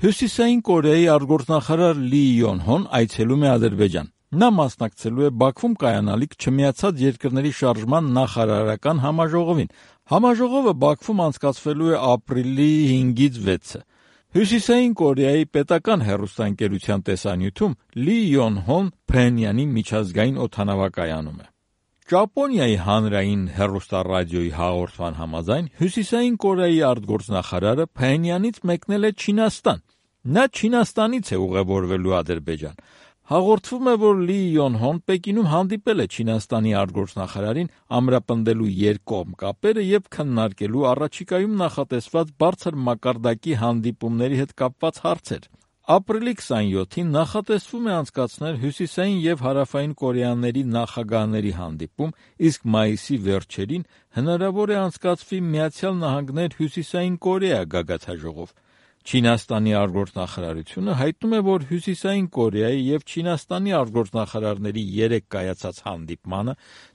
Հյուսիսային Կորեայի արտգործնախարար Լի Յոն-հոն այցելում է Ադրբեջան։ Նա մասնակցելու է Բաքվում կայանալիք Չմիացած երկրների շարժման նախարարական համաժողովին։ Համաժողովը Բաքվում անցկացվելու է ապրիլի 5-ից 6-ը։ Հյուսիսային Կորեայի պետական հեռուստաընկերության տեսանյութում Լի Յոն-հոն Փհենյանի միջազգային օդանավակայանում է։ Ճապոնիայի հանրային հեռուստառադիոյի հաղորդման համաձայն Հյուսիսային Կորեայի արտգործնախարարը Փհենյանից մեկնել է Չինաստան։ Նա Չինաստանից է ուղևորվելու Ադրբեջան։ Հաղորդվում է, որ Լի Յոն-հոն Պեկինում հանդիպել է Չինաստանի արտգործնախարարին ամրապնդելու երկկողմ կապերը եւ քննարկելու առաջիկայում նախատեսված բարձր մակարդակի հանդիպումների հետ կապված հարցեր։ Ապրիլի 27-ին նախատեսվում է անցկացնել Հյուսիսային եւ Հարավային Կորեաների նախագահների հանդիպում, իսկ մայիսի վերջերին հնարավոր է անցկացվի Միացյալ Նահանգներ Հյուսիսային Կորեա գագաթնաժողով։ Չինաստանի արտգործնախարարությունը հայտնում է, որ Հյուսիսային Կորեայի եւ Չինաստանի արտգործնախարարների 3 կայացած հանդիպմանը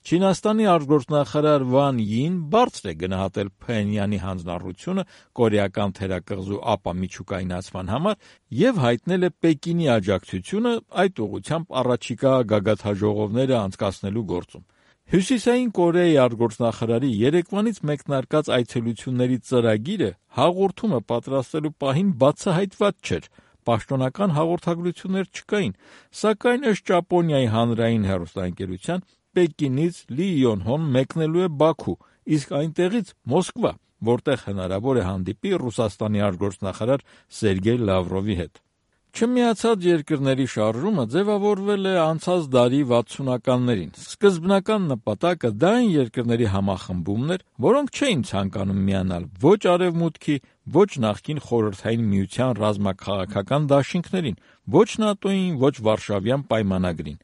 Չինաստանի արտգործնախարար Վան Յին բարձր է գնահատել Փհենյանի հանձնառությունը կորեական թերակղզու ապամիջուկայնացման համար եւ հայտնել է Պեկինի աջակցությունը այդ ուղղությամբ առաջիկա գագաթնաժողովները անցկացնելու գործում։ Հյուսիսային Կորեայի արտգործնախարարի երեկվանից մեկնարկած այցելությունների ծրագիրը հաղորդումը պատրաստելու պահին բացահայտված չէր։ Պաշտոնական հաղորդագրություններ չկային, սակայն ըստ Ճապոնիայի հանրային հեռուստաընկերության Պեկինից Լի Յոն-հոն մեկնելու է Բաքու, իսկ այնտեղից Մոսկվա, որտեղ հնարավոր է հանդիպի Ռուսաստանի արտգործնախարար Սերգեյ Լավրովի հետ։ Չմիացած երկրների շարժումը ձևավորվել է անցած դարի 60-ականներին։ Սկզբնական նպատակը դա այն երկրների համախմբումն էր, որոնք չէին ցանկանում միանալ ոչ Արևմուտքի, ոչ նախկին Խորհրդային Միության ռազմաքաղաքական դաշինքներին, ոչ ՆԱՏՕ-ին, ոչ Վարշավյան պայմանագրին։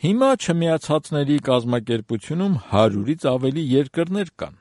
Հիմա չմիացածների կազմակերպությունում 100-ից ավելի երկրներ կան։